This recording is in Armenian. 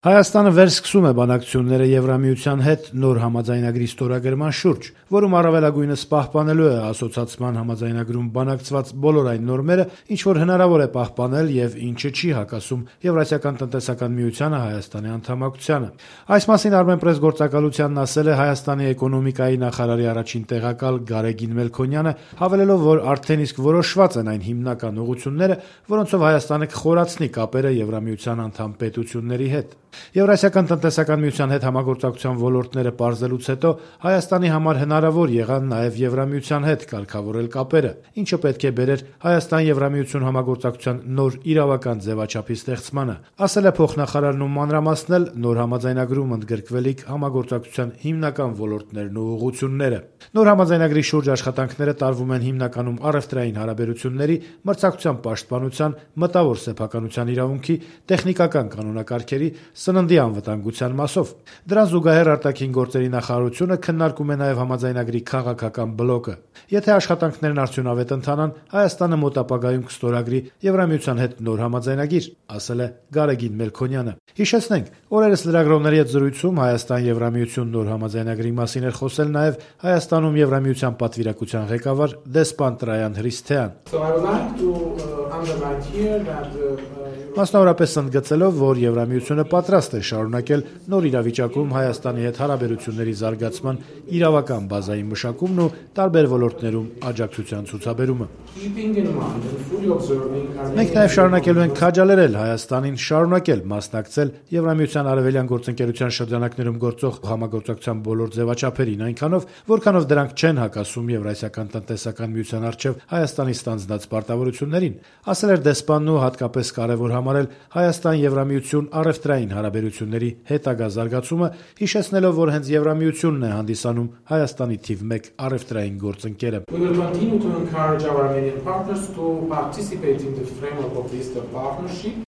Հայաստանը վերսկսում է բանակցությունները Եվրամիության հետ նոր համաձայնագրի ստորագրման շուրջ, որում առավելագույնս պահպանելու է ասոցացման համաձայնագրում բանակցված բոլոր այն նորմերը, ինչ որ հնարավոր է պահպանել եւ ինչը չի հակասում Եվրասիական տնտեսական միությանը Հայաստանի անդամակցությանը։ Այս մասին Armenpress գործակալությանն ասել է Հայաստանի էկոնոմիկայի նախարարի առաջին տեղակալ Գարեգին Մելքոնյանը, հավելելով, որ արդեն իսկ որոշված են այն հիմնական ուղղությունները, որոնցով Հայաստանը կխորացնի կապերը Եվրամիության անդամ պետությունների հետ։ Եվրասիական տնտեսական միության հետ համագործակցության ոլորտները պարզելուց հետո Հայաստանի համար հնարավոր եղան նաև Եվրամիության հետ կարգավորել կապերը, ինչը պետք է բերեր Հայաստան-Եվրամիություն համագործակցության նոր իրավական ձևաչափի ստեղծմանը, ասել է փոխնախարարն ու մանրամասնել նոր համաձայնագրում ընդգրկվելիք համագործակցության հիմնական ոլորտներն ու ուղղությունները։ Նոր համաձայնագրի շուրջ աշխատանքները տարվում են հիմնականում առևտրային հարաբերությունների, մրցակցության պաշտպանության, մտավոր սեփականության իրավունքի, տեխնիկական կանոնակարգերի, սննդի անվտանգության մասով։ Դրան զուգահեռ արտաքին գործերի նախարարությունը քննարկում է նաև համաձայնագրի քաղաքական բլոկը։ Եթե աշխատանքներն արդյունավետ ընթանան, Հայաստանը մոտ ապագայում կստորագրի Եվրամիության հետ նոր համաձայնագիր, ասել է Գարեգին Մելքոնյանը։ Հիշեցնենք, օրերս լրագրողների հետ զրույցում Հայաստան-Եվրամիություն նոր համաձայնագրի մասին էր խոսել նաև Հայաստանում Եվրամիության պատվիրակության ղեկավար դեսպան Տրայան Հրիսթեան։ Մասնավորապես ընդգծելով, որ Եվրամիությունը պատրաստ է շարունակել նոր իրավիճակում Հայաստանի հետ հարաբերությունների զարգացման իրավական բազայի մշակումն ու տարբեր ոլորտներում աջակցության ցուցաբերումը։ Մենք նաև շարունակելու ենք քաջալերել Հայաստանին շարունակել մասնակցել Եվրամիության արևելյան գործընկերության շրջանակներում գործող համագործակցության բոլոր ձևաչափերին, այնքանով, որքանով դրանք չեն հակասում Եվրասիական տնտեսական միության առջև Հայաստանի ստանձնած պարտավորություններին, ասել էր դեսպանն ու հատկապես կարևոր համարել Հայաստան-Եվրամիություն առևտրային հարաբերությունների հետագա զարգացումը, հիշեցնելով, որ հենց Եվրամիությունն է հանդիսանում Հայաստանի թիվ 1 առևտրային գործընկերը։ We will continue to encourage our Armenian partners to participate in the framework of the Eastern Partnership.